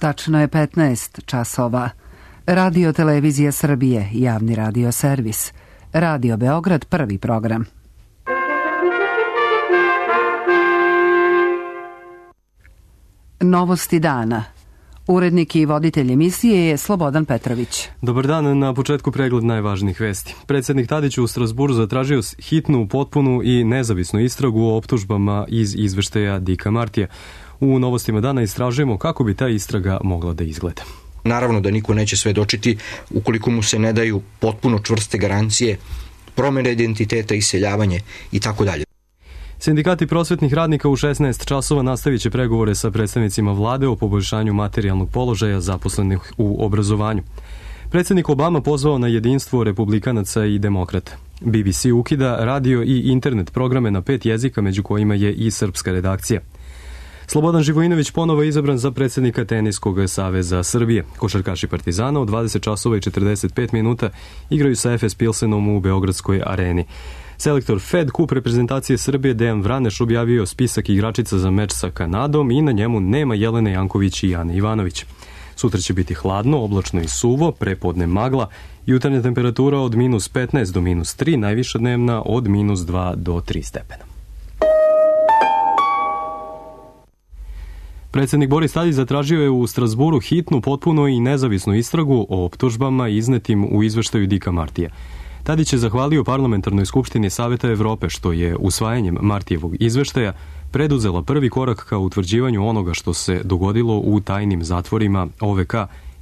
Tačno je 15 časova. Radio Televizija Srbije, javni radio servis. Radio Beograd, prvi program. Novosti dana. Urednik i voditelj emisije je Slobodan Petrović. Dobar dan, na početku pregled najvažnijih vesti. Predsjednik Tadić u Strasburu zatražio hitnu, potpunu i nezavisnu istragu o optužbama iz izveštaja Dika Martija. U Novostima dana istražujemo kako bi ta istraga mogla da izgleda. Naravno da niko neće svedočiti ukoliko mu se ne daju potpuno čvrste garancije, promjene identiteta, iseljavanje i tako dalje. Sindikati prosvetnih radnika u 16 časova nastavit će pregovore sa predstavnicima vlade o poboljšanju materijalnog položaja zaposlenih u obrazovanju. Predsjednik Obama pozvao na jedinstvo republikanaca i demokrata. BBC ukida radio i internet programe na 5 jezika, među kojima je i srpska redakcija. Slobodan Živojinović ponovo je izabran za predsjednika Teniskog saveza Srbije. Košarkaši Partizana u 20 časova i 45 minuta igraju sa Efes Pilsenom u Beogradskoj areni. Selektor Fed Kup reprezentacije Srbije Dejan Vraneš objavio spisak igračica za meč sa Kanadom i na njemu nema Jelene Janković i Ane Ivanović. Sutra će biti hladno, oblačno i suvo, prepodne magla, jutarnja temperatura od -15 do -3, najviša dnevna od -2 do 3 stepena. Predsjednik Boris Tadić zatražio je u Strasburu hitnu, potpuno i nezavisnu istragu o optužbama iznetim u izveštaju Dika Martija. Tadić je zahvalio Parlamentarnoj skupštini Saveta Evrope što je usvajanjem Martijevog izveštaja preduzela prvi korak ka utvrđivanju onoga što se dogodilo u tajnim zatvorima OVK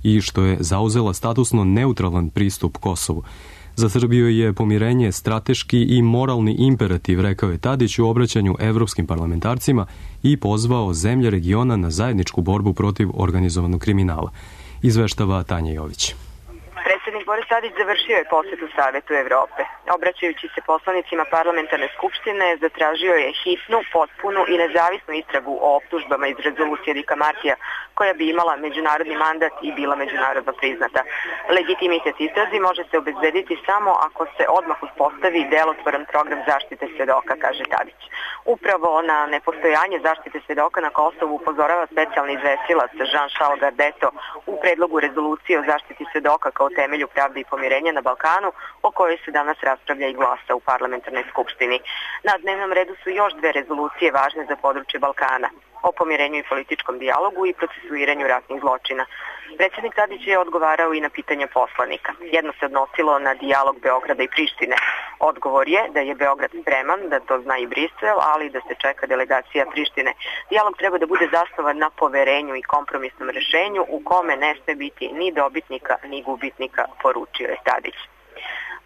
i što je zauzela statusno neutralan pristup Kosovu. Za Srbiju je pomirenje strateški i moralni imperativ, rekao je Tadić u obraćanju evropskim parlamentarcima i pozvao zemlje regiona na zajedničku borbu protiv organizovanog kriminala. Izveštava Tanja Jović. Predsjednik Boris Tadić završio je posjetu Savetu Evrope. Obraćajući se poslanicima parlamentarne skupštine, zatražio je hitnu, potpunu i nezavisnu istragu o optužbama iz rezolucije Dika Martija, koja bi imala međunarodni mandat i bila međunarodno priznata. Legitimitet istrazi može se obezbediti samo ako se odmah uspostavi delotvoran program zaštite svedoka, kaže Tadić. Upravo na nepostojanje zaštite svedoka na Kosovu upozorava specijalni izvestilac Jean-Charles Gardeto u predlogu rezolucije o zaštiti svedoka kao temelju pravde i pomirenja na Balkanu, o kojoj se danas raspravlja i glasa u parlamentarnoj skupštini. Na dnevnom redu su još 2 rezolucije važne za područje Balkana, o pomirenju i političkom dijalogu i procesuiranju ratnih zločina. Predsjednik Tadić je odgovarao i na pitanja poslanika. Jedno se odnosilo na dijalog Beograda i Prištine. Odgovor je da je Beograd spreman, da to zna i Brisel, ali da se čeka delegacija Prištine. Dijalog treba da bude zasnovan na poverenju i kompromisnom rešenju u kome ne sme biti ni dobitnika ni gubitnika, poručio je Tadić.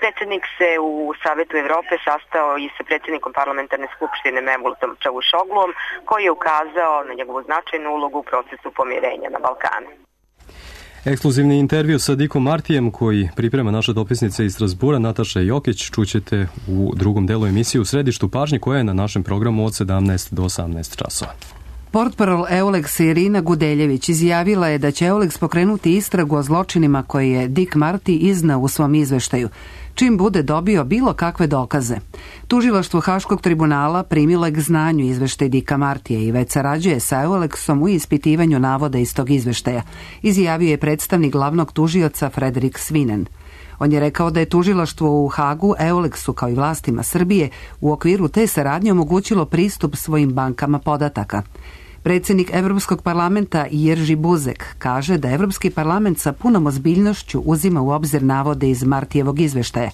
Predsjednik se u Savetu Evrope sastao i sa predsjednikom parlamentarne skupštine Mevlutom Čavuşogluom, koji je ukazao na njegovu značajnu ulogu u procesu pomirenja na Balkanu. Ekskluzivni intervju sa Dikom Martijem koji priprema naša dopisnica iz Strasbura Nataša Jokić čućete u drugom delu emisije u središtu pažnje koja je na našem programu od 17 do 18 časova. Portparol Euleksa Irina Gudeljević izjavila je da će Euleks pokrenuti istragu o zločinima koje je Dik Marti iznao u svom izveštaju, čim bude dobio bilo kakve dokaze. Tužilaštvo Haškog tribunala primilo je k znanju izveštaj Dika Martija i već sarađuje sa Euleksom u ispitivanju navoda iz tog izveštaja, izjavio je predstavnik glavnog tužioca Frederik Svinen. On je rekao da je tužilaštvo u Hagu Euleksu kao i vlastima Srbije u okviru te saradnje omogućilo pristup svojim bankama podataka. Predsjednik Evropskog parlamenta Jerži Buzek kaže da Evropski parlament sa punom ozbiljnošću uzima u obzir navode iz Martijevog izveštaja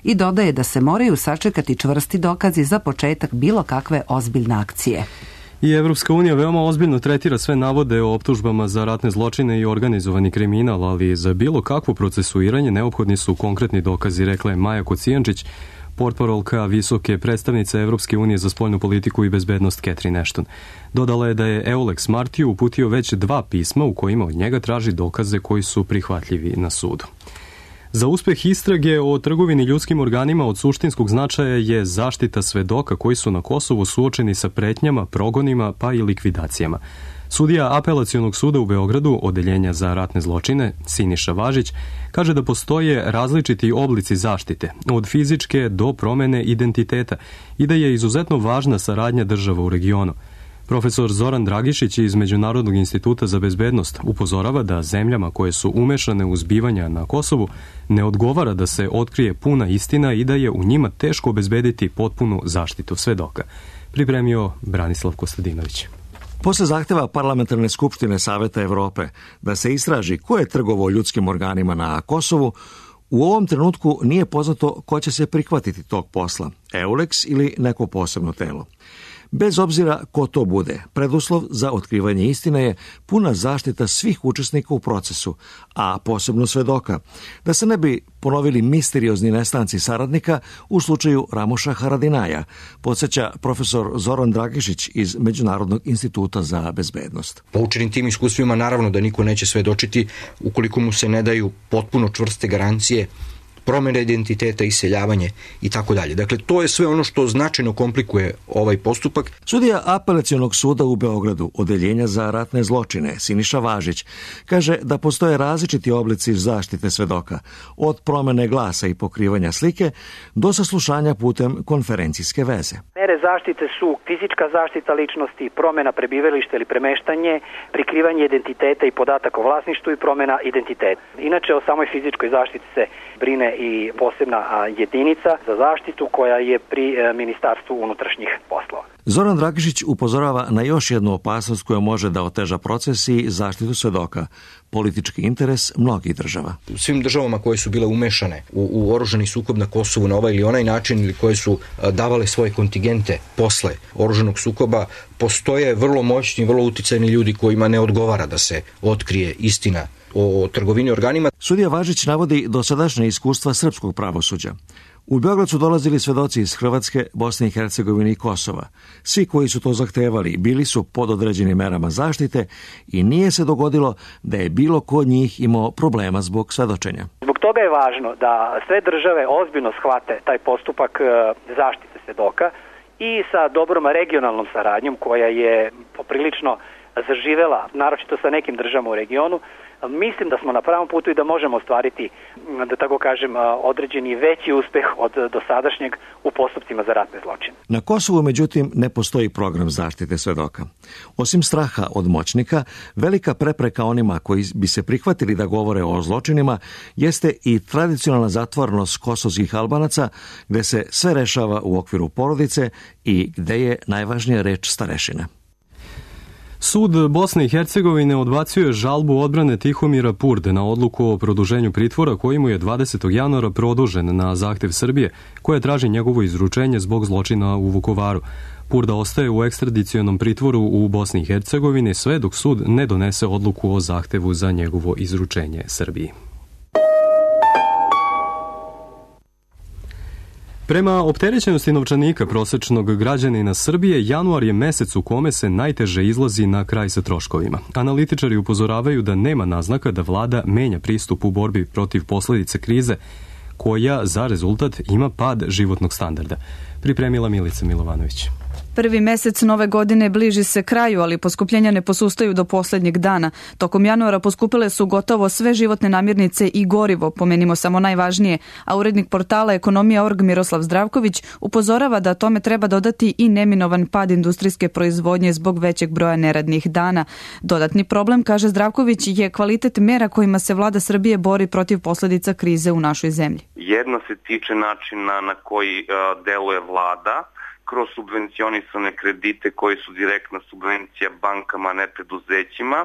i dodaje da se moraju sačekati čvrsti dokazi za početak bilo kakve ozbiljne akcije. I Evropska unija veoma ozbiljno tretira sve navode o optužbama za ratne zločine i organizovani kriminal, ali za bilo kakvo procesuiranje neophodni su konkretni dokazi, rekla je Maja Kocijančić, portparolka visoke predstavnice Evropske unije za spoljnu politiku i bezbednost Catherine Ashton. Dodala je da je Euleks Martiju uputio već 2 pisma u kojima od njega traži dokaze koji su prihvatljivi na sudu. Za uspeh istrage o trgovini ljudskim organima od suštinskog značaja je zaštita svedoka koji su na Kosovu suočeni sa pretnjama, progonima pa i likvidacijama. Sudija Apelacionog suda u Beogradu, odeljenja za ratne zločine, Siniša Važić, kaže da postoje različiti oblici zaštite, od fizičke do promene identiteta i da je izuzetno važna saradnja država u regionu. Profesor Zoran Dragišić iz Međunarodnog instituta za bezbednost upozorava da zemljama koje su umešane u zbivanja na Kosovu ne odgovara da se otkrije puna istina i da je u njima teško obezbediti potpunu zaštitu svedoka. Pripremio Branislav Kostadinović. Posle zahteva Parlamentarne skupštine Saveta Evrope da se istraži ko je trgovao ljudskim organima na Kosovu, u ovom trenutku nije poznato ko će se prihvatiti tog posla, EULEX ili neko posebno telo. Bez obzira ko to bude, preduslov za otkrivanje istine je puna zaštita svih učesnika u procesu, a posebno svedoka, da se ne bi ponovili misteriozni nestanci saradnika u slučaju Ramoša Haradinaja, podsjeća profesor Zoran Dragišić iz Međunarodnog instituta za bezbednost. Poučenim tim iskustvima naravno da niko neće svedočiti ukoliko mu se ne daju potpuno čvrste garancije, promjena identiteta, iseljavanje i tako dalje. Dakle, to je sve ono što značajno komplikuje ovaj postupak. Sudija Apelacionog suda u Beogradu, Odeljenja za ratne zločine, Siniša Važić, kaže da postoje različiti oblici zaštite svedoka, od promene glasa i pokrivanja slike do saslušanja putem konferencijske veze. Mere zaštite su fizička zaštita ličnosti, promjena prebivališta ili premeštanje, prikrivanje identiteta i podataka o vlasništvu i promjena identiteta. Inače, o samoj fizičkoj zaštiti se brine i posebna jedinica za zaštitu koja je pri Ministarstvu unutrašnjih poslova. Zoran Dragišić upozorava na još jednu opasnost koja može da oteža proces i zaštitu svedoka, politički interes mnogih država. U svim državama koje su bile umešane u oružani sukob na Kosovu na ovaj ili onaj način ili koje su davale svoje kontingente posle oružanog sukoba, postoje vrlo moćni, vrlo uticajni ljudi kojima ne odgovara da se otkrije istina o trgovini organima. Sudija Važić navodi dosadašnje iskustva srpskog pravosuđa. U Beograd su dolazili svedoci iz Hrvatske, Bosne i Hercegovine i Kosova. Svi koji su to zahtevali bili su pod određenim merama zaštite i nije se dogodilo da je bilo ko od njih imao problema zbog svedočenja. Zbog toga je važno da sve države ozbiljno shvate taj postupak zaštite svedoka i sa dobrom regionalnom saradnjom koja je poprilično zaživela, naročito sa nekim državama u regionu. Mislim da smo na pravom putu i da možemo ostvariti, da tako kažem, određeni veći uspeh od dosadašnjeg u postupcima za ratne zločine. Na Kosovu, međutim, ne postoji program zaštite svedoka. Osim straha od moćnika, velika prepreka onima koji bi se prihvatili da govore o zločinima jeste i tradicionalna zatvorenost kosovskih Albanaca, gde se sve rešava u okviru porodice i gde je najvažnija reč starešina. Sud Bosne i Hercegovine odbacio je žalbu odbrane Tihomira Purde na odluku o produženju pritvora koji mu je 20. januara produžen na zahtev Srbije, koja traži njegovo izručenje zbog zločina u Vukovaru. Purda ostaje u ekstradicionom pritvoru u Bosni i Hercegovini sve dok sud ne donese odluku o zahtevu za njegovo izručenje Srbiji. Prema opterećenosti novčanika prosečnog građanina Srbije, januar je mesec u kome se najteže izlazi na kraj sa troškovima. Analitičari upozoravaju da nema naznaka da vlada menja pristup u borbi protiv posledice krize, koja za rezultat ima pad životnog standarda. Pripremila Milica Milovanović. Prvi mesec nove godine bliži se kraju, ali poskupljenja ne posustaju do posljednjeg dana. Tokom januara poskupile su gotovo sve životne namirnice i gorivo, pomenimo samo najvažnije, a urednik portala Ekonomija.org Miroslav Zdravković upozorava da tome treba dodati i neminovan pad industrijske proizvodnje zbog većeg broja neradnih dana. Dodatni problem, kaže Zdravković, je kvalitet mera kojima se vlada Srbije bori protiv posljedica krize u našoj zemlji. Jedna se tiče načina na koji deluje vlada, kroz subvencionisane kredite koji su direktna subvencija bankama, ne preduzećima.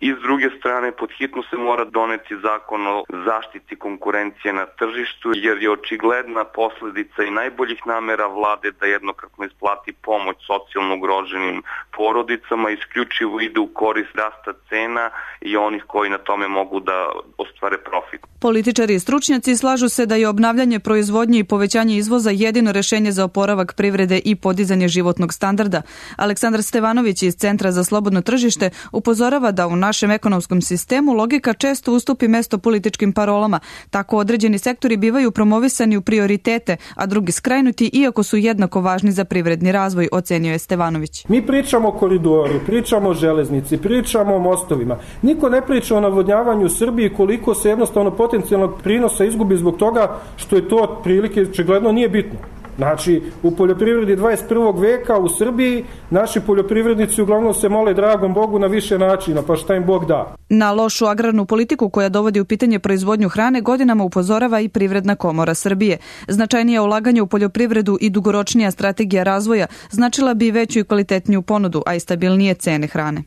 I s druge strane, pod hitno se mora doneti zakon o zaštiti konkurencije na tržištu, jer je očigledna posljedica i najboljih namera vlade da jednokratno isplati pomoć socijalno ugroženim porodicama, isključivo ide u korist rasta cena i onih koji na tome mogu da ostvare profit. Političari i stručnjaci slažu se da je obnavljanje proizvodnje i povećanje izvoza jedino rešenje za oporavak privrede i podizanje životnog standarda. Aleksandar Stevanović iz Centra za slobodno tržište upozorava da u našem ekonomskom sistemu logika često ustupi mesto političkim parolama. Tako određeni sektori bivaju promovisani u prioritete, a drugi skrajnuti iako su jednako važni za privredni razvoj, ocenio je Stevanović. Mi pričamo o koridoru, pričamo o železnici, pričamo o mostovima. Niko ne priča o navodnjavanju Srbiji, koliko se jednostavno potencijalnog prinosa izgubi zbog toga što je to otprilike očigledno nije bitno. Znači, u poljoprivredi 21. veka u Srbiji naši poljoprivrednici uglavnom se mole dragom Bogu na više načina, pa šta im Bog da. Na lošu agrarnu politiku koja dovodi u pitanje proizvodnju hrane godinama upozorava i Privredna komora Srbije. Značajnije ulaganje u poljoprivredu i dugoročnija strategija razvoja značila bi veću i kvalitetniju ponudu, a i stabilnije cene hrane.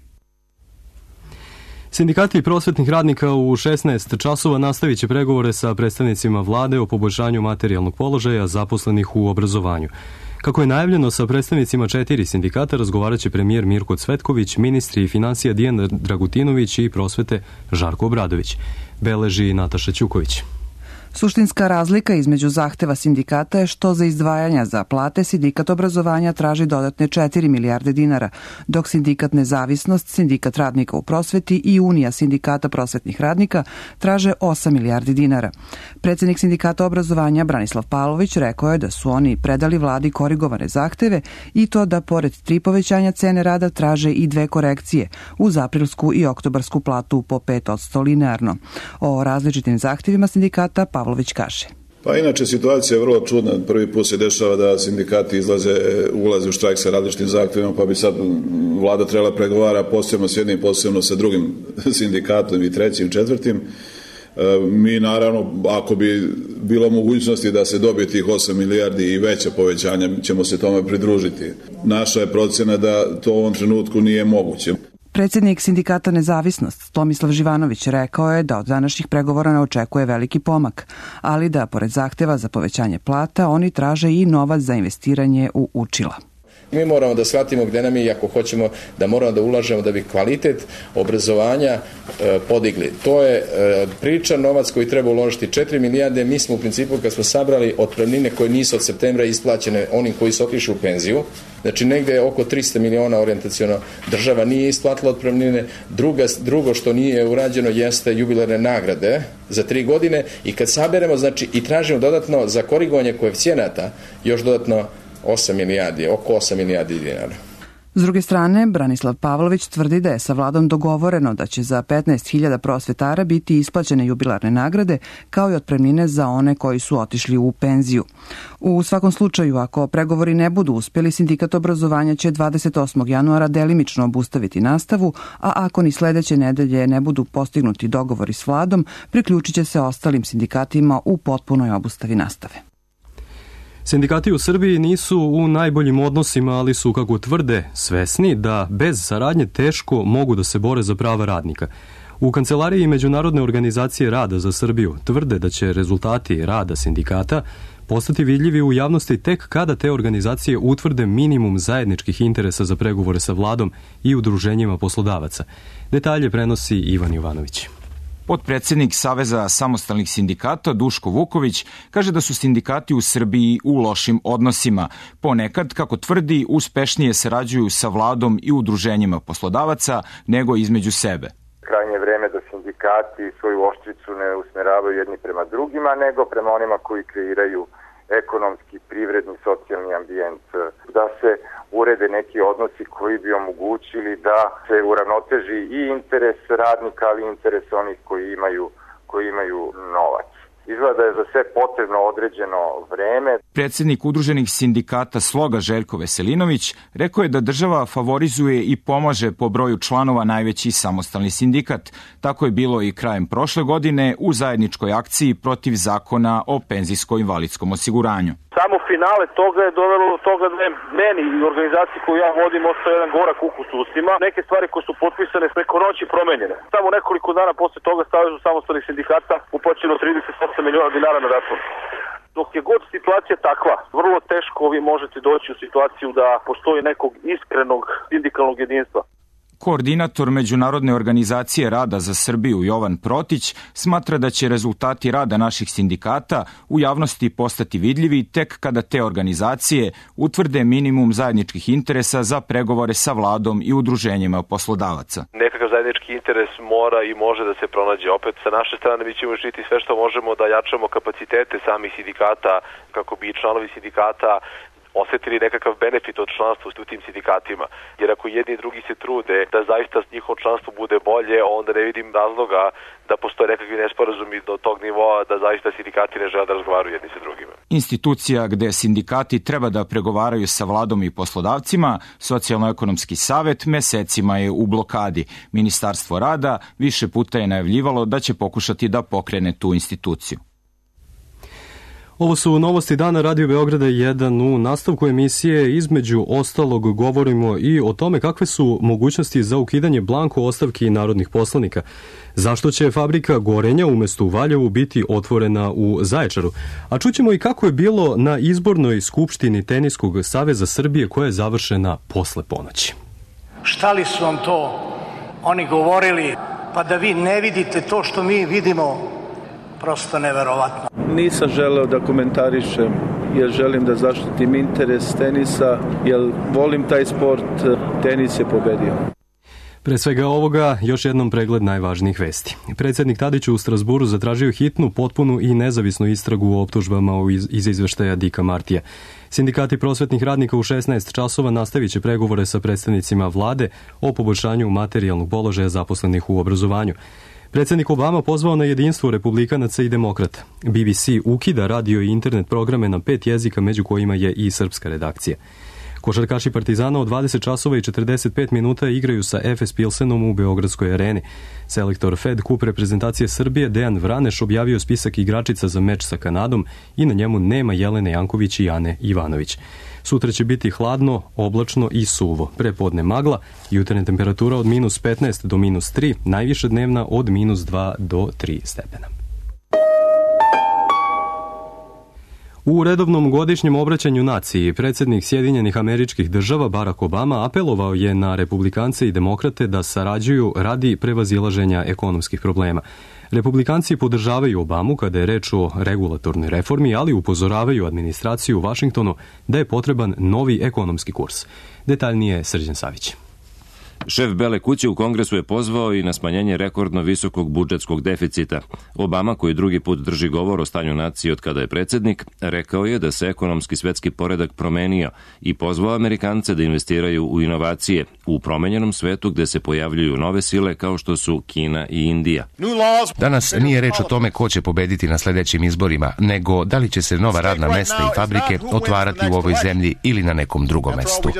Sindikati prosvetnih radnika u 16 časova nastavit će pregovore sa predstavnicima vlade o poboljšanju materijalnog položaja zaposlenih u obrazovanju. Kako je najavljeno, sa predstavnicima 4 sindikata razgovarat će premijer Mirko Cvetković, ministri financija Dijan Dragutinović i prosvete Žarko Obradović. Beleži Nataša Ćuković. Suštinska razlika između zahteva sindikata je što za izdvajanja za plate sindikat obrazovanja traži dodatne 4 milijarde dinara, dok sindikat Nezavisnost, sindikat radnika u prosveti i Unija sindikata prosvetnih radnika traže 8 milijardi dinara. Predsjednik sindikata obrazovanja Branislav Pavlović rekao je da su oni predali vladi korigovane zahteve i to da pored 3 povećanja cene rada traže i 2 korekcije uz aprilsku i oktobarsku platu po 5% linearno. O različitim zahtjevima sindikata Pavlović kaže. Pa inače situacija je vrlo čudna. Prvi put se dešava da sindikati ulaze u štrajk sa različitim zahtjevima, pa bi sad vlada trebala pregovara posebno s jednim, posebno sa drugim sindikatom i trećim, četvrtim. Mi naravno, ako bi bilo mogućnosti da se dobije tih 8 milijardi i veća povećanja, ćemo se tome pridružiti. Naša je procena da to u ovom trenutku nije moguće. Predsjednik sindikata Nezavisnost Tomislav Živanović rekao je da od današnjih pregovora ne očekuje veliki pomak, ali da pored zahteva za povećanje plata oni traže i novac za investiranje u učila. Mi moramo da shvatimo gde nam je i ako hoćemo da moramo da ulažemo da bi kvalitet obrazovanja podigli. To je priča, novac koji treba uložiti 4 milijarde. Mi smo u principu kad smo sabrali otpremnine koje nisu od septembra isplaćene onim koji su otišli u penziju, znači negde oko 300 miliona orijentaciono država nije isplatila otpremnine. Drugo što nije urađeno jeste jubilarne nagrade za 3 godine i kad saberemo znači i tražimo dodatno za korigovanje koeficijenata još dodatno 8 milijardi, oko 8 milijardi dinara. S druge strane, Branislav Pavlović tvrdi da je sa vladom dogovoreno da će za 15.000 prosvetara biti isplaćene jubilarne nagrade kao i otpremnine za one koji su otišli u penziju. U svakom slučaju, ako pregovori ne budu uspjeli, sindikat obrazovanja će 28. januara delimično obustaviti nastavu, a ako ni sledeće nedelje ne budu postignuti dogovori s vladom, priključit će se ostalim sindikatima u potpunoj obustavi nastave. Sindikati u Srbiji nisu u najboljim odnosima, ali su, kako tvrde, svesni da bez saradnje teško mogu da se bore za prava radnika. U Kancelariji Međunarodne organizacije rada za Srbiju tvrde da će rezultati rada sindikata postati vidljivi u javnosti tek kada te organizacije utvrde minimum zajedničkih interesa za pregovore sa vladom i udruženjima poslodavaca. Detalje prenosi Ivan Jovanović. Potpredsjednik Saveza samostalnih sindikata Duško Vuković kaže da su sindikati u Srbiji u lošim odnosima. Ponekad, kako tvrdi, uspešnije sarađuju sa vladom i udruženjima poslodavaca nego između sebe. Krajnje vreme da sindikati svoju oštricu ne usmeravaju jedni prema drugima, nego prema onima koji kreiraju ekonomski, privredni, socijalni ambijent, da se urede neki odnosi koji bi omogućili da se uravnoteži i interes radnika, ali i interes onih koji imaju novac. Izgleda da je za sve potrebno određeno vreme. Predsjednik udruženih sindikata Sloga Željko Veselinović rekao je da država favorizuje i pomaže po broju članova najveći samostalni sindikat. Tako je bilo i krajem prošle godine u zajedničkoj akciji protiv zakona o penzijsko-invalidskom osiguranju. Samo finale toga je dovelo do toga da je meni i organizaciji koju ja vodim ostao jedan gorak ukus u ustima. Neke stvari koje su potpisane preko noći promenjene. Samo nekoliko dana posle toga Savezu samostalnih sindikata uplaćeno 38 miliona dinara na račun. Dok je god situacija takva, vrlo teško vi možete doći u situaciju da postoji nekog iskrenog sindikalnog jedinstva. Koordinator Međunarodne organizacije rada za Srbiju Jovan Protić smatra da će rezultati rada naših sindikata u javnosti postati vidljivi tek kada te organizacije utvrde minimum zajedničkih interesa za pregovore sa vladom i udruženjima poslodavaca. Nekakav zajednički interes mora i može da se pronađe. Opet sa naše strane mi ćemo učiniti sve što možemo da jačamo kapacitete samih sindikata kako bi članovi sindikata osetili nekakav benefit od članstva u tim sindikatima. Jer ako jedni i drugi se trude da zaista njihovo članstvo bude bolje, onda ne vidim razloga da postoje nekakvi nesporazumi do tog nivoa da zaista sindikati ne žele da razgovaraju jedni sa drugima. Institucija gde sindikati treba da pregovaraju sa vladom i poslodavcima, Socijalno-ekonomski savet mesecima je u blokadi. Ministarstvo rada više puta je najavljivalo da će pokušati da pokrene tu instituciju. Ovo su novosti dana Radio Beograda 1. U nastavku emisije između ostalog govorimo i o tome kakve su mogućnosti za ukidanje blanko ostavki narodnih poslanika. Zašto će fabrika Gorenja umesto u Valjevu biti otvorena u Zaječaru? A čućemo i kako je bilo na izbornoj skupštini Teniskog saveza Srbije koja je završena posle ponoći. Šta li su vam to oni govorili, pa da vi ne vidite to što mi vidimo? Prosto neverovatno. Nisam želeo da komentarišem jer želim da zaštitim interes tenisa, jer volim taj sport, tenis je pobedio. Pre svega ovoga, još jednom pregled najvažnijih vesti. Predsjednik Tadić u Strasburu zatražio hitnu, potpunu i nezavisnu istragu o optužbama iz izveštaja Dika Martija. Sindikati prosvetnih radnika u 16 časova nastavit će pregovore sa predstavnicima vlade o poboljšanju materijalnog položaja zaposlenih u obrazovanju. Predsjednik Obama pozvao na jedinstvo republikanaca i demokrata. BBC ukida radio i internet programe na 5 jezika, među kojima je i srpska redakcija. Košarkaši Partizana od 20 časova i 45 minuta igraju sa Efes Pilsenom u Beogradskoj areni. Selektor Fed Kup reprezentacije Srbije Dejan Vraneš objavio spisak igračica za meč sa Kanadom i na njemu nema Jelene Janković i Ane Ivanović. Sutra će biti hladno, oblačno i suvo. Prepodne magla, jutarnja temperatura od minus 15 do minus 3, najviše dnevna od minus 2 do 3 stepena. U redovnom godišnjem obraćanju naciji, predsjednik Sjedinjenih Američkih Država Barack Obama apelovao je na republikance i demokrate da sarađuju radi prevazilaženja ekonomskih problema. Republikanci podržavaju Obamu kada je reč o regulatornoj reformi, ali upozoravaju administraciju u Vašingtonu da je potreban novi ekonomski kurs. Detaljnije Srđan Savić. Šef Bele kuće u Kongresu je pozvao i na smanjenje rekordno visokog budžetskog deficita. Obama, koji drugi put drži govor o stanju nacije od kada je predsjednik, rekao je da se ekonomski svetski poredak promenio i pozvao Amerikance da investiraju u inovacije u promenjenom svetu gde se pojavljuju nove sile kao što su Kina i Indija. Danas nije reč o tome ko će pobediti na sljedećim izborima, nego da li će se nova radna mesta i fabrike otvarati u ovoj zemlji ili na nekom drugom mestu.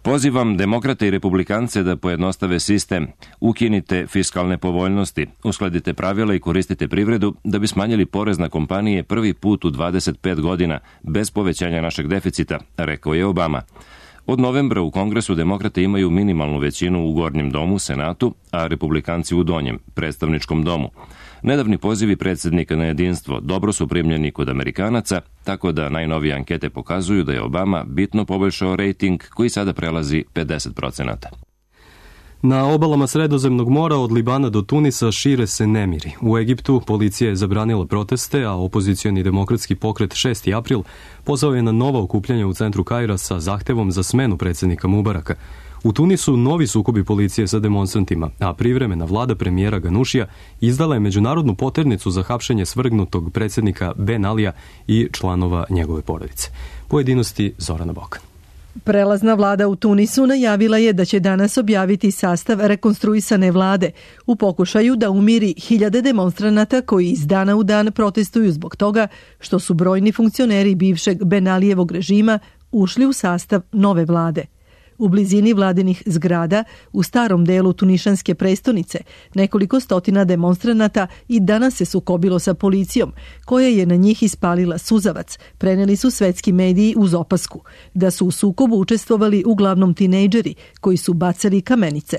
Pozivam demokrate i republikance da pojednostave sistem, ukinite fiskalne povoljnosti, uskladite pravila i koristite privredu da bi smanjili porez na kompanije prvi put u 25 godina bez povećanja našeg deficita, rekao je Obama. Od novembra u Kongresu demokrate imaju minimalnu većinu u Gornjem domu, Senatu, a republikanci u Donjem, predstavničkom domu. Nedavni pozivi predsjednika na jedinstvo dobro su primljeni kod Amerikanaca, tako da najnovije ankete pokazuju da je Obama bitno poboljšao rejting koji sada prelazi 50%. Na obalama Sredozemnog mora od Libana do Tunisa šire se nemiri. U Egiptu policija je zabranila proteste, a opozicioni demokratski pokret 6. april pozvao je na nova okupljanja u centru Kaira sa zahtevom za smenu predsjednika Mubaraka. U Tunisu novi sukobi policije sa demonstrantima, a privremena vlada premijera Ganušija izdala je međunarodnu poternicu za hapšenje svrgnutog predsjednika Ben Alija i članova njegove porodice. Pojedinosti Zorana Bokan. Prelazna vlada u Tunisu najavila je da će danas objaviti sastav rekonstruisane vlade u pokušaju da umiri hiljade demonstranata koji iz dana u dan protestuju zbog toga što su brojni funkcioneri bivšeg Ben Alijevog režima ušli u sastav nove vlade. U blizini vladinih zgrada, u starom delu tunišanske prestonice, nekoliko stotina demonstranata i danas se sukobilo sa policijom, koja je na njih ispalila suzavac, preneli su svetski mediji uz opasku, da su u sukobu učestvovali uglavnom tinejdžeri koji su bacali kamenice.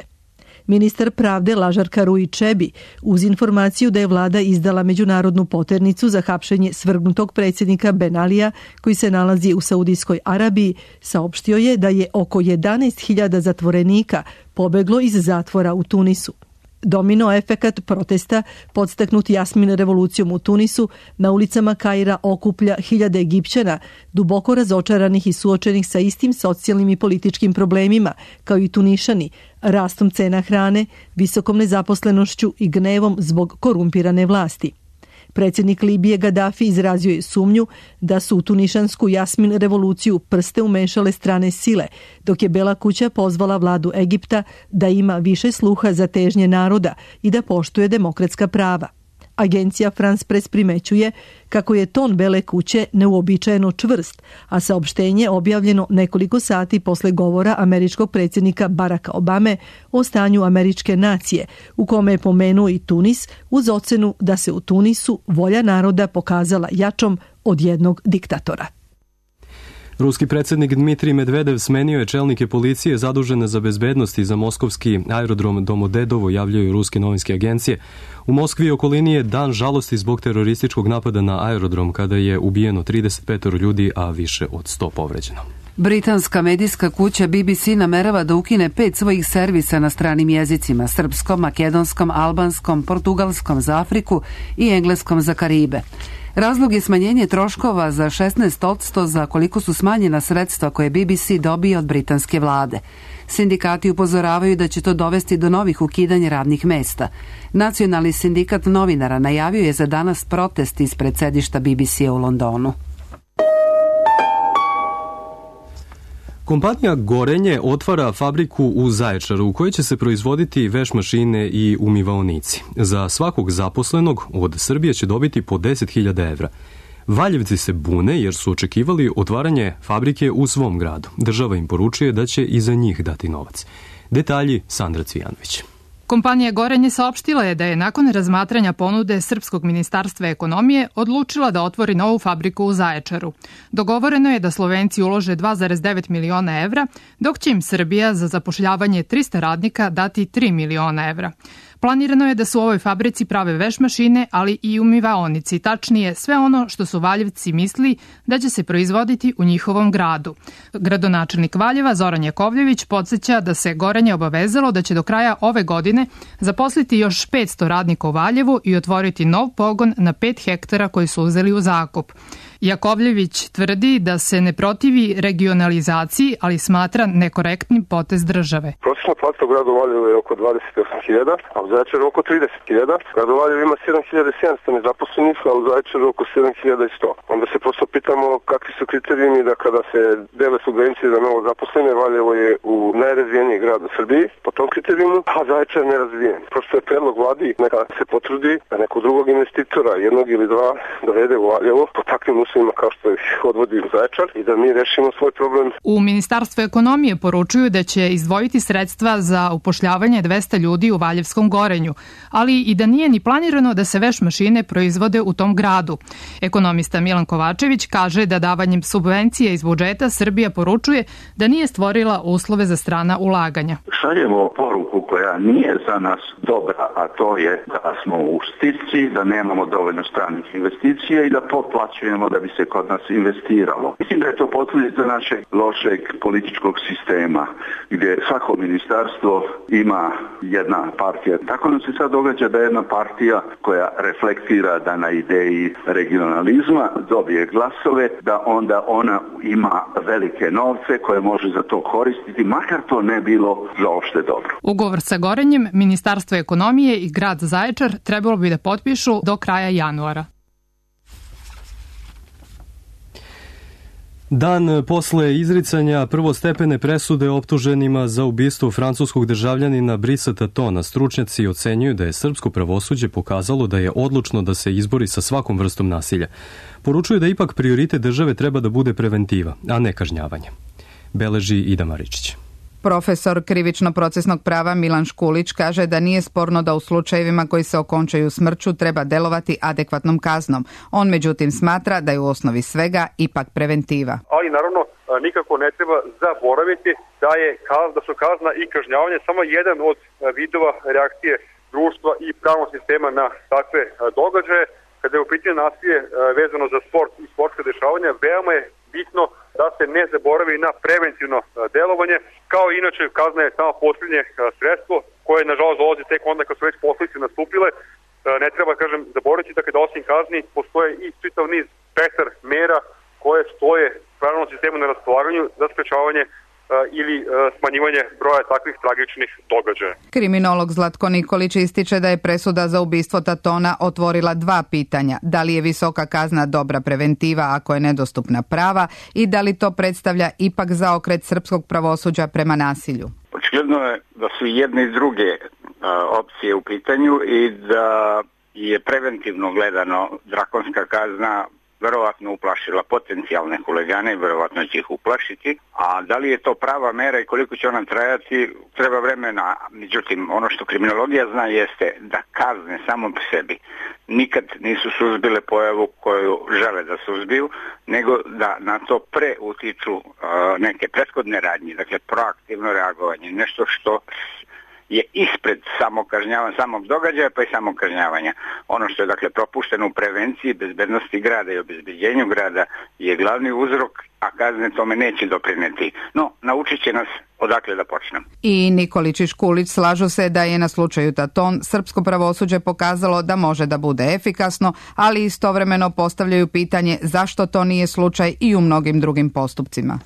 Ministar pravde Lažar Karuji Čebi, uz informaciju da je vlada izdala međunarodnu poternicu za hapšenje svrgnutog predsjednika Ben Alija, koji se nalazi u Saudijskoj Arabiji, saopštio je da je oko 11.000 zatvorenika pobeglo iz zatvora u Tunisu. Domino efekat protesta, podstaknut Jasmin revolucijom u Tunisu, na ulicama Kaira okuplja hiljade Egipćana, duboko razočaranih i suočenih sa istim socijalnim i političkim problemima, kao i Tunišani, rastom cena hrane, visokom nezaposlenošću i gnevom zbog korumpirane vlasti. Predsjednik Libije Gaddafi izrazio je sumnju da su u tunišansku Jasmin revoluciju prste umešale strane sile, dok je Bela kuća pozvala vladu Egipta da ima više sluha za težnje naroda i da poštuje demokratska prava. Agencija France Press primećuje kako je ton Bele kuće neuobičajeno čvrst, a saopštenje objavljeno nekoliko sati posle govora američkog predsjednika Baracka Obame o stanju američke nacije, u kome je pomenuo i Tunis uz ocenu da se u Tunisu volja naroda pokazala jačom od jednog diktatora. Ruski predsjednik Dmitrij Medvedev smenio je čelnike policije zadužene za bezbednost i za moskovski aerodrom Domodedovo, javljaju ruske novinske agencije. U Moskvi i okolini je dan žalosti zbog terorističkog napada na aerodrom kada je ubijeno 35 ljudi, a više od 100 povređeno. Britanska medijska kuća BBC namerava da ukine 5 svojih servisa na stranim jezicima, srpskom, makedonskom, albanskom, portugalskom za Afriku i engleskom za Karibe. Razlog je smanjenje troškova za 16% za koliko su smanjena sredstva koje BBC dobije od britanske vlade. Sindikati upozoravaju da će to dovesti do novih ukidanja radnih mesta. Nacionalni sindikat novinara najavio je za danas protest ispred sedišta BBC-a u Londonu. Kompanija Gorenje otvara fabriku u Zaječaru u kojoj će se proizvoditi veš mašine i umivaonici. Za svakog zaposlenog od Srbije će dobiti po 10.000 evra. Valjevci se bune jer su očekivali otvaranje fabrike u svom gradu. Država im poručuje da će i za njih dati novac. Detalji Sandra Cvijanović. Kompanija Gorenje saopštila je da je nakon razmatranja ponude Srpskog ministarstva ekonomije odlučila da otvori novu fabriku u Zaječaru. Dogovoreno je da Slovenci ulože 2,9 miliona evra, dok će im Srbija za zapošljavanje 300 radnika dati 3 miliona evra. Planirano je da su u ovoj fabrici prave veš mašine, ali i umivaonici, tačnije sve ono što su Valjevci misli da će se proizvoditi u njihovom gradu. Gradonačelnik Valjeva Zoran Jakovljević podsjeća da se Gorenje obavezalo da će do kraja ove godine zaposliti još 500 radnika u Valjevu i otvoriti nov pogon na 5 hektara koji su uzeli u zakup. Jakovljević tvrdi da se ne protivi regionalizaciji, ali smatra nekorektnim potez države. Prosječna plata u gradu Valjevo je oko 28.000, a u Zaječaru oko 30.000. Gradu Valjevo ima 7.700 nezaposlenih, a u Zaječaru oko 7.100. Onda se prosto pitamo kakvi su kriterijumi da kada se dele subvencije za novo zaposlene, Valjevo je u najrazvijeniji grad u Srbiji po tom kriterijumu, a Zaječar nerazvijen. Prosto je predlog vladi neka se potrudi da nekog drugog investitora, jednog ili dva, dovede u Valjevo po takvim uslovima kao što ih odvodi u Zaječar i da mi rešimo svoj problem. U Ministarstvu ekonomije poručuju da će izdvojiti sredstva za upošljavanje 200 ljudi u Valjevskom Gorenju, ali i da nije ni planirano da se veš mašine proizvode u tom gradu. Ekonomista Milan Kovačević kaže da davanjem subvencije iz budžeta Srbija poručuje da nije stvorila uslove za strana ulaganja. Šaljemo poruku koja nije za nas dobra, a to je da smo u stisci, da nemamo dovoljno stranih investicija i da potplaćujemo da bi se kod nas investiralo. Mislim da je to posljedica našeg lošeg političkog sistema, gdje svako ministarstvo ima jedna partija. Tako nam se sad događa da jedna partija koja reflektira da na ideji regionalizma dobije glasove, da onda ona ima velike novce koje može za to koristiti, makar to ne bilo za opšte dobro. Ugovor sa Gorenjem, Ministarstvo ekonomije i grad Zaječar trebalo bi da potpišu do kraja januara. Dan posle izricanja prvostepene presude optuženima za ubistvo francuskog državljanina Brisa Tatona, stručnjaci ocenjuju da je srpsko pravosuđe pokazalo da je odlučno da se izbori sa svakom vrstom nasilja. Poručuju da ipak prioritet države treba da bude preventiva, a ne kažnjavanje. Beleži Ida Maričić. Profesor krivično-procesnog prava Milan Škulić kaže da nije sporno da u slučajevima koji se okončaju smrću treba delovati adekvatnom kaznom. On međutim smatra da je u osnovi svega ipak preventiva. Ali naravno nikako ne treba zaboraviti da su kazna i kažnjavanje samo jedan od vidova reakcije društva i pravnog sistema na takve događaje. Kada je u pitanju nasilje vezano za sport i sportske dešavanja, veoma je bitno da se ne zaboravi na preventivno delovanje, kao i inače kazna je samo posljednje sredstvo koje nažalost dolazi tek onda kad su već posljedice nastupile. Ne treba, zaboraviti da osim kazni postoje i čitav niz spektar mera koje stoje pravnom sistemu na raspolaganju za sprečavanje ili smanjivanje broja takvih tragičnih događaja. Kriminolog Zlatko Nikolić ističe da je presuda za ubistvo Tatona otvorila dva pitanja. Da li je visoka kazna dobra preventiva ako je nedostupna prava i da li to predstavlja ipak zaokret srpskog pravosuđa prema nasilju? Očigledno je da su jedne i druge opcije u pitanju i da je preventivno gledano drakonska kazna verovatno uplašila potencijalne huligane, verovatno će ih uplašiti, a da li je to prava mera i koliko će ona trajati, treba vremena. Međutim, ono što kriminologija zna jeste da kazne samo po sebi nikad nisu suzbile pojavu koju žele da suzbiju, nego da na to utiču neke prethodne radnje, dakle proaktivno reagovanje, nešto što je ispred samog događaja pa i samog kažnjavanja. Ono što je dakle propušteno u prevenciji, bezbednosti grada i obezbeđenju grada je glavni uzrok, a kazne tome neće doprineti. No, naučit će nas odakle da počnemo. I Nikolić i Škulić slažu se da je na slučaju Taton srpsko pravosuđe pokazalo da može da bude efikasno, ali istovremeno postavljaju pitanje zašto to nije slučaj i u mnogim drugim postupcima.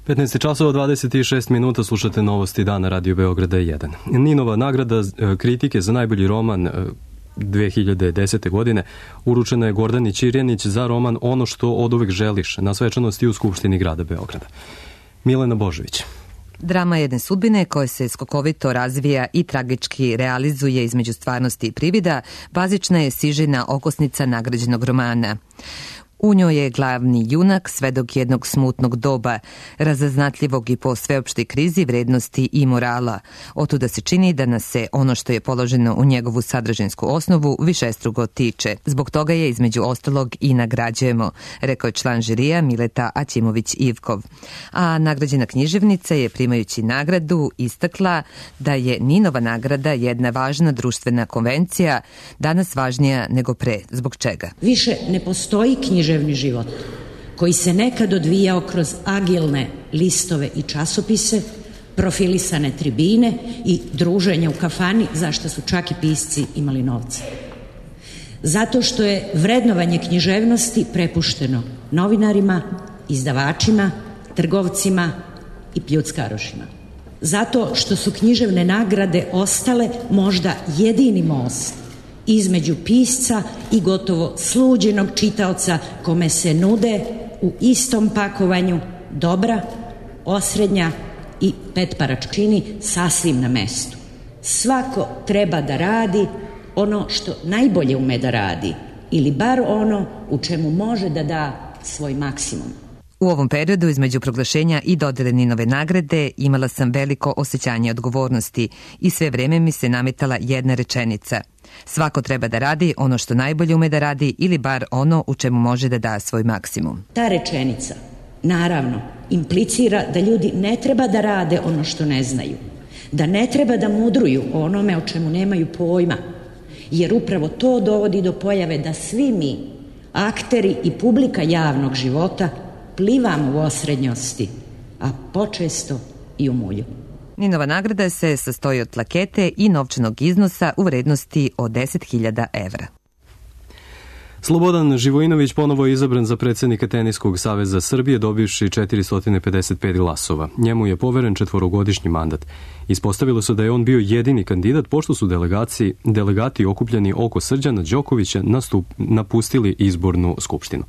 15 časova 26 minuta, slušate novosti dana Radio Beograda 1. Ninova nagrada kritike za najbolji roman 2010. godine uručena je Gordani Ćirjanić za roman Ono što oduvek želiš na svečanosti u Skupštini grada Beograda. Milena Božović. Drama jedne sudbine koja se skokovito razvija i tragički realizuje između stvarnosti i privida, bazična je sižina okosnica nagrađenog romana. U njoj je glavni junak svedok jednog smutnog doba, razaznatljivog i po sveopštoj krizi vrednosti i morala. Otuda se čini da nas se ono što je položeno u njegovu sadržajinsku osnovu višestruko tiče. Zbog toga je između ostalog i nagrađujemo, rekao je član žirija Mileta Aćimović-Ivkov. A nagrađena književnica je, primajući nagradu, istakla da je Ninova nagrada jedna važna društvena konvencija, danas važnija nego pre. Zbog čega? Više ne postoji književni život koji se nekad odvijao kroz agilne listove i časopise, profilisane tribine i druženja u kafani, zašto su čak i pisci imali novca. Zato što je vrednovanje književnosti prepušteno novinarima, izdavačima, trgovcima i pljuckarošima. Zato što su književne nagrade ostale možda jedini most između pisca i gotovo sluđenog čitaoca kome se nude u istom pakovanju dobra, osrednja i petparačkini sasvim na mestu. Svako treba da radi ono što najbolje ume da radi ili bar ono u čemu može da da svoj maksimum. U ovom periodu između proglašenja i dodele Ninove nagrade imala sam veliko osjećanje odgovornosti i sve vreme mi se nametala jedna rečenica. Svako treba da radi ono što najbolje ume da radi ili bar ono u čemu može da da svoj maksimum. Ta rečenica, naravno, implicira da ljudi ne treba da rade ono što ne znaju, da ne treba da mudruju o onome o čemu nemaju pojma, jer upravo to dovodi do pojave da svi mi, akteri i publika javnog života, plivamo u osrednjosti, a počesto i u mulju. Ninova nagrada se sastoji od plakete i novčanog iznosa u vrednosti od 10.000 evra. Slobodan Živojinović ponovo je izabran za predsjednika Teniskog saveza Srbije, dobivši 455 glasova. Njemu je poveren 4-godišnji mandat. Ispostavilo se da je on bio jedini kandidat, pošto su delegati okupljeni oko Srđana Đokovića napustili izbornu skupštinu.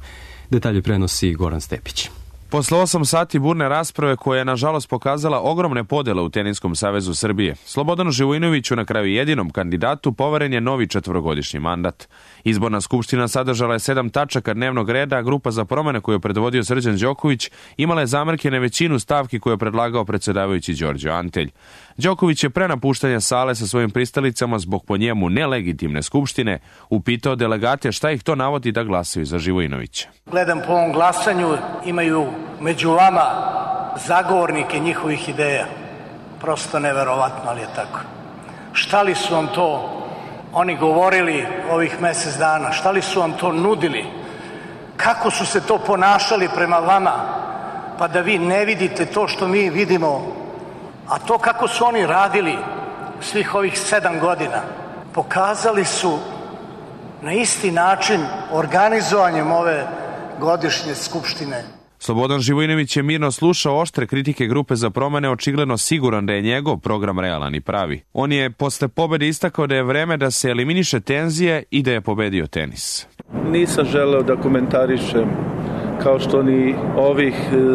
Detalje prenosi Goran Stepić. Posle 8 sati burne rasprave koja je nažalost pokazala ogromne podele u Teniskom savezu Srbije, Slobodanu Živojinoviću, na kraju jedinom kandidatu, poveren je novi 4-godišnji mandat. Izborna skupština sadržala je 7 tačaka dnevnog reda, a grupa za promene koju je predvodio Srđan Đoković imala je zamerke na većinu stavki koje je predlagao predsjedavajući Đorđe Antelj. Đoković je pre napuštanja sale sa svojim pristalicama zbog po njemu nelegitimne skupštine upitao delegate šta ih to navodi da glasaju za Živojinovića. Gledam po ovom glasanju, imaju među vama zagovornike njihovih ideja. Prosto neverovatno, ali je tako. Šta li su vam to oni govorili ovih mjesec dana? Šta li su vam to nudili? Kako su se to ponašali prema vama? Pa da vi ne vidite to što mi vidimo. A to kako su oni radili svih ovih 7 godina, pokazali su na isti način organizovanjem ove godišnje skupštine. Slobodan Živojinović je mirno slušao oštre kritike grupe za promene, očigledno siguran da je njegov program realan i pravi. On je posle pobede istakao da je vreme da se eliminiše tenzije i da je pobedio tenis. Nisam želeo da komentarišem, kao što ni ovih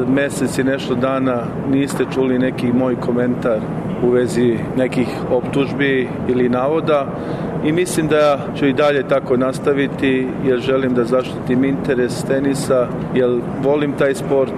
meseci nešto dana niste čuli neki moj komentar u vezi nekih optužbi ili navoda, i mislim da ću i dalje tako nastaviti, jer želim da zaštitim interes tenisa, jer volim taj sport.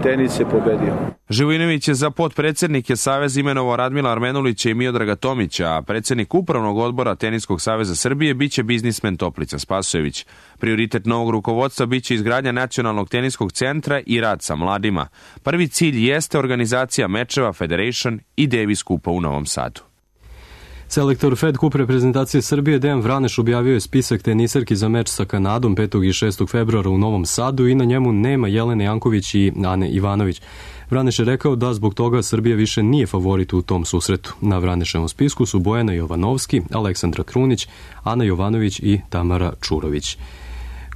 Tenis je pobedio. Živojinović je za potpredsjednike Saveza imenovao Radmila Armenulića i Miodraga Tomića, a predsjednik upravnog odbora Teniskog saveza Srbije biće biznismen Toplica Spasojević. Prioritet novog rukovodstva biće izgradnja nacionalnog teniskog centra i rad sa mladima. Prvi cilj jeste organizacija mečeva Federation i Davis Kupa u Novom Sadu. Selektor Fed Kup reprezentacije Srbije Dejan Vraneš objavio je spisak tenisarki za meč sa Kanadom 5. i 6. februara u Novom Sadu i na njemu nema Jelene Janković i Ane Ivanović. Vraneš je rekao da zbog toga Srbija više nije favorit u tom susretu. Na Vraneševom spisku su Bojana Jovanovski, Aleksandra Krunić, Ana Jovanović i Tamara Čurović.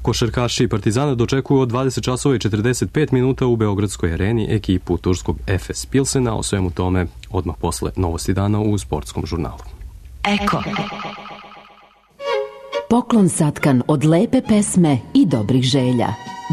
Košarkaši Partizana dočekuju od 20 časova i 45 minuta u Beogradskoj areni ekipu turskog Efes Pilsena. O svemu tome odmah posle Novosti dana u sportskom žurnalu. Eko. Poklon satkan od lepe pesme i dobrih želja.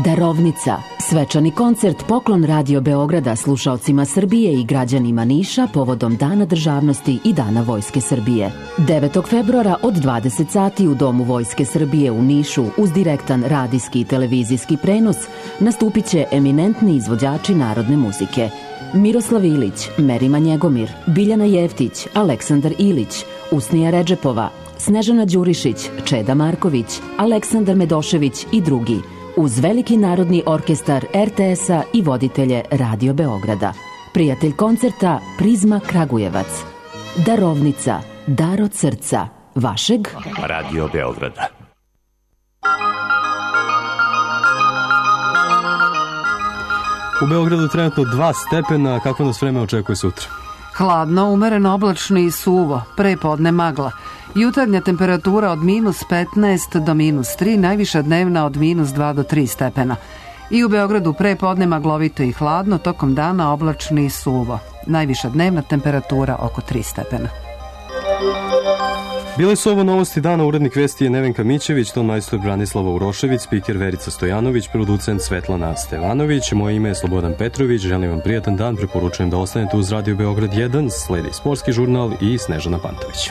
Darovnica. Svečani koncert Poklon Radio Beograda slušaocima Srbije i građanima Niša povodom Dana državnosti i Dana Vojske Srbije. 9. februara od 20 sati u Domu Vojske Srbije u Nišu uz direktan radijski i televizijski prenos nastupit će eminentni izvođači narodne muzike. Miroslav Ilić, Merima Njegomir, Biljana Jeftić, Aleksandar Ilić, Usnija Redžepova, Snežana Đurišić, Čeda Marković, Aleksandar Medošević i drugi, uz veliki narodni orkestar RTS-a i voditelje Radio Beograda. Prijatelj koncerta Prizma Kragujevac. Darovnica, dar od srca, vašeg Radio Beograda. U Beogradu trenutno 2 stepena, kako nas vreme očekuje sutra? Hladno, umereno oblačno i suvo, prepodne magla. Jutarnja temperatura od -15 do -3, najviša dnevna od -2 do 3 stepena. I u Beogradu prepodne maglovito i hladno, tokom dana oblačno i suvo. Najviša dnevna temperatura oko 3 stepena. Bile su ovo Novosti dana, urednik vesti je Nevenka Mićević, tonmajstor Branislava Urošević, spiker Verica Stojanović, producent Svetlana Stevanović, moje ime je Slobodan Petrović, želim vam prijatan dan, preporučujem da ostanete uz Radio Beograd 1, sledi sportski žurnal i Snežana Pantović.